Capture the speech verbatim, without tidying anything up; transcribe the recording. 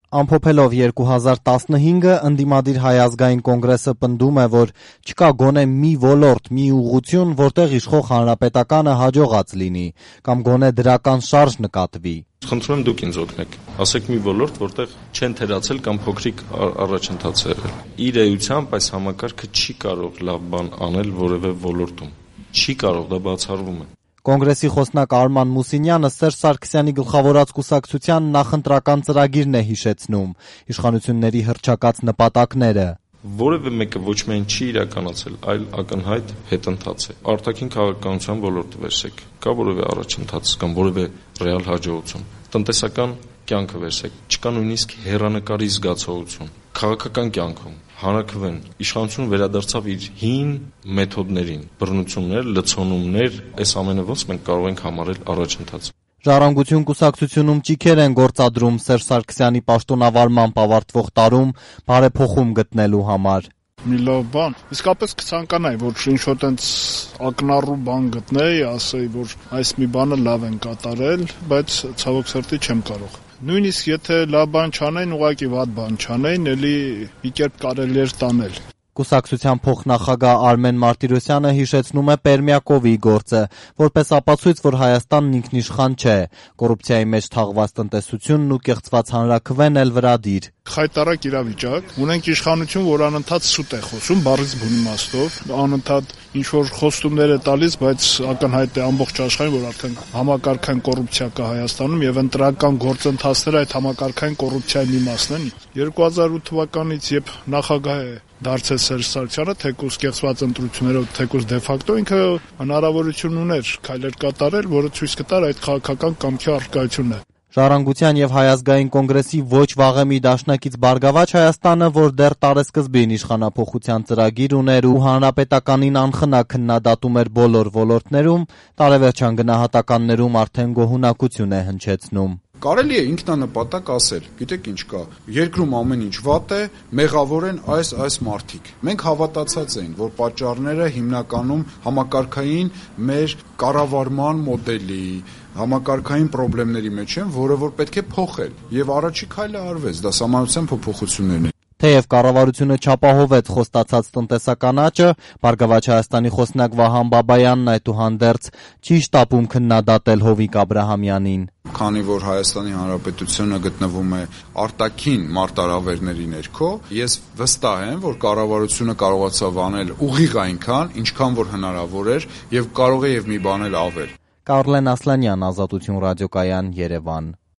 Ամփոփելով երկու հազար տասնհինգը ընդդիմադիր Հայ ազգային կոնգրեսը պնդում է, որ չկա գոնե մի ոլորտ, մի ուղղություն, որտեղ իշխող Հանրապետականը հաջողած լինի, կամ գոնե դրական շարժ նկատվի։ Խնդրում եմ դուք ինձ օգնեք, ասեք մի ոլորտ, որտեղ չեն թերացել կամ փոքրիկ առաջընթաց է եղել։ Իր էությամբ այս համակարգը չի կարող լավ բան անել որևէ ոլորտում։ Չի կարող, դա բացառվում է։ Կոնգրեսի խոսնակ Արման Մուսինյանը Սերժ Սարգսյանի գլխավորած կուսակցության նախընտրական ծրագիրն է հիշեցնում, իշխանությունների հռչակած նպատակները։ Որևէ մեկը ոչ միայն չի իրականացել, այլ ակնհայտ հետընթաց է։ Արտաքին քաղաքականության ոլորտը վերցեք, կա որևէ առաջընթաց կամ որևէ ռեալ հաջողություն։ Տնտեսական կյանքը վերցեք, չկա նույնիսկ հեռանկարի զգացողություն։ Քաղաքական կյանքում հանրաքվեն իշխանությունը վերադարձավ իր հին մեթոդներին, բռնություններ, լցոնումներ, այս ամենը ոնց մենք կարող ենք համարել առաջընթաց։ Ժառանգություն կուսակցությունում ճիգեր են գործադրում Սերժ Սարգսյանի պաշտոնավարմամբ ավարտվող տարում բարեփոխում գտնելու համար։ Մի լավ բան, իսկապես կցանկանայի, որ ինչ-որ տենց ակնառու բան գտնեի, ասեի, որ այս մի բանը լավ են կատարել, բայց ցավոք սրտի չեմ կարող։ Նույնիսկ եթե լավ բան չանեին, ուղղակի վատ բան չանեին, էլի մի կերպ կարելի էր տանել։ Կուսակցության փոխնախագահ Արմեն Մարտիրոսյանը հիշեցնում է Պերմյակովի գործը, որպես ապացույց, որ Հայաստանն ինքնիշխան չէ, կոռուպցիայի մեջ թաղված տնտեսությունն ու կեղծված հանրաքվեն էլ վրադիր։ Խայտառակ իրավիճակ, ունենք իշխանություն, որ անընդհատ սուտ է խոսում, բառից բուն իմաստով, անընդհատ ինչ-որ խոստումներ է տալիս, բայց ակնհայտ է ամբողջ աշխարհին, որ արդեն համակարգային կոռուպցիա կա Հայաստանում եւ ընտրական գործընթացները այդ համակարգային կոռուպցիայի մի մասն են։ երկու հազար ութ թվականից, երբ նախագահ է դարձել Սերժ Սարգսյանը, թեկուզ կեղծված ընտրություններով, թեկուզ դե ֆակտո ինքը հնարավորություն ուներ քայլեր կատարել, որը ցույց կտար այդ քաղաքական կամքի առկայությունն է։ Ժառանգության եւ Հայ ազգային կոնգրեսի ոչ վաղեմի դաշնակից Բարգավաճ Հայաստանը, որ դեռ տարեսկզբին իշխանափոխության ծրագիր ուներ ու հանրապետականին անխնա քննադատում էր բոլոր ոլորտներում, տարեվերջան գնահատականներում արդեն գոհունակություն է հնչեցնում։ Կարելի է ինքնանպատակ ասել, գիտեք ինչ կա, երկրում ամեն ինչ վատ է, մեղավոր են այս այս մարդիկ։ Մենք հավատացած ենք, որ պատճառները հիմնականում համակարգային մեր կառավարման մոդելի, համակարգային խնդիրների մեջ են, որը որ պետք է փոխել։ Եվ առաջի քայլը արվեց, դա սահմանության փոփոխություններն են։ Թեև կառավարությունը չապահովեց խոստացած տնտեսական աճը, Բարգավաճ Հայաստանի խոսնակ Վահան Բաբայանն այդուհանդերձ չի շտապում քննադատել Հովիկ Աբրահամյանին։ Քանի որ Հայաստանի Հանրապետությունը գտնվում է արտաքին մարտահրավերների ներքո, ես վստահ եմ, որ կառավարությունը կարողացավ անել ուղիղ այնքան, ինչքան որ հնարավոր էր եւ կարող է եւ մի բան էլ ավել։ Կարլեն Ասլանյան, Ազատություն ռադիոկայան, Երևան։